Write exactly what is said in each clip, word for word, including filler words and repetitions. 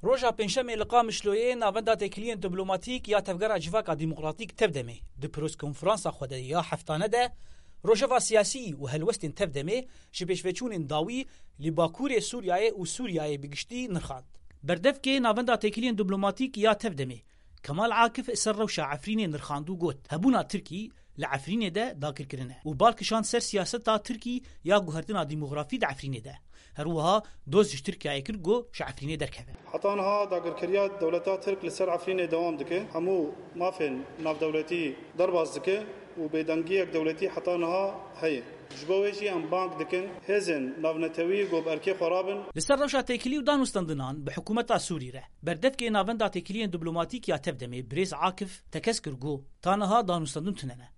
Roja Pêncşemê li Qamişloyê Navenda Têkiliyên Diplomatîk ya Tevgera Civaka Demokratîk, Tevdemê, di preskonferansa xwe de ya heftane de rojeva siyasî û helwestên Tevdemê ji pêşveçûnên dawî li Bakurê Sûriyeyê û Sûriyeyê bi giştî nirxand. Berdevkê Navenda Têkiliyên Diplomatîk ya Tevdemê, Kemal Akif, ser rewşa Efrînê nirxand û got, hebûna Tirkî li Efrînê de dagirkirin e û bal kişand ser siyaseta Tirkî ya guhertina demografî di Efrînê de. Her wiha doz ji Tirkiyeyê kir ku ji Efrînê derkeve. Heta niha dagirkeriya dewleta Tirk li ser Efrînê dewam dike. Hemû mafên navdewletî derbas dike û bêdengiyek dewletî heta niha heye. Ji bo wê jî em bang dikin hêzên navnetewî ku bi erkê xwe rabin. Li ser rewşa têkilî û danûstendinan bi hikûmeta Sûrî re, berdevkê Navenda Têkiliyên Diplomatîk ya Tevdemê, birêz Akif, tekez kir ku ta niha danûstendin tune ne.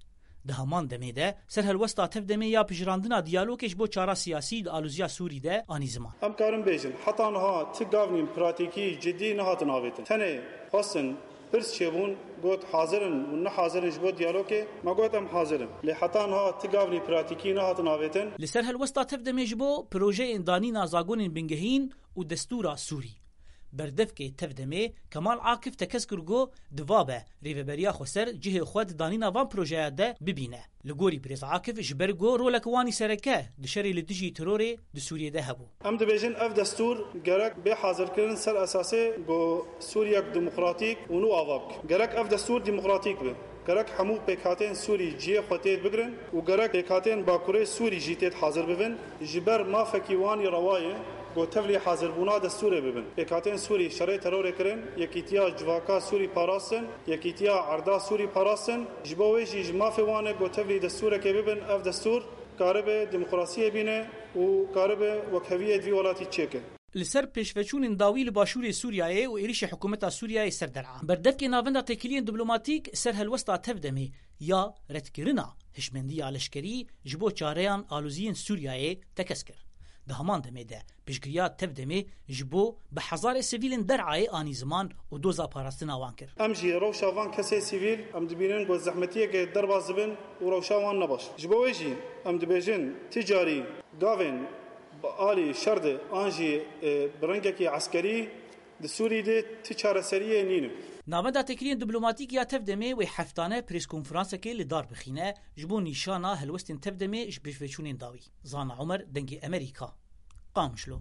Di heman demê de, serhelwesta Tevdemê ya pijirandina diyalogê ji bo çara siyasî di aloziya Sûrî de anî ziman. Em karin bêjin, heta niha ti gavnîn pratîkî cidî nehatin avêtin. Tenê xwestin pirs çêbûn, got, hazir in û ne hazir in ji bo diyalogê? Me got, em hazir in. Lê heta niha ti gavnî pratîkî nehatin avêtin. Li ser helwesta Tevdemê ji bo projeyên danîna zagonên bingehîn û destûra Sûrî, berdevkê Tevdemê, Kemal Akif, tekez kir ku divabe Rêveberiya Xweser cihê xwe di danîna van projeya de bibîne. Li gorî birêz Akif, ji ber ku rolek wan î sereke di şerê li dijî terorê di Sûriyê de hebû. Em dibêjin, ev destûr gerek bê hazirkirin ser esasê ku Sûriyek demokratîk û nû ava bike. Gerek ev destûr demokratîk be. Gerek hemû pêkhatên Sûrî cihê xwe têd bigrin û gerek pêkhatên Bakurê Sûrî jî têd hazir bibin. Ji ber mafekî wan î rewa ye ku tevlî hazirbûna destûrê bibin. Pêkhatên Sûrî şerê terorê kirin, yekîtiya civaka Sûrî parastin, yekîtiya erda Sûrî parastin. Ji bo wê jî ji mafê wan e ku tevlî destûrekê bibin, ev destûr karibe demokrasiyê bîne û karibe wekheviyê di vî welatî çêke. Li ser pêşveçûnên dawî li başûrê Sûriyeyê û êrişê hikûmeta Sûriyeyê ser der'a, berdevkê Navenda Têkiliyên Diplomatîk ser helwesta Tevdemê ya redkirina hişmendiya leşkerî ji bo çareyan aloziyên Sûriyeyê tekez kir. Di heman demê de piştgiriya Tevdemê ji bo bi hezarê sivîlên der'ayê anî ziman û doza parastina wan kir. Em jî rewşa van kesê sivîl em dibînin ku zehmetiyeke derbas dibin û rewşa wan ne baş. Ji bo wê jî em dibêjin, ti carî gavên bi alî şer de an jî, e, bi rengekî eskerî di Sûrî de ti çareseriyê nîne. Navenda Têkiliyên Diplomatîk ya Tevdemê wê heftane preskonferansekê li dar bixîne ji bo nîşana helwestên Tevdemê ji pêşveçûnên dawî. Zana Omer, Dengê Emerîka, Qamişlo.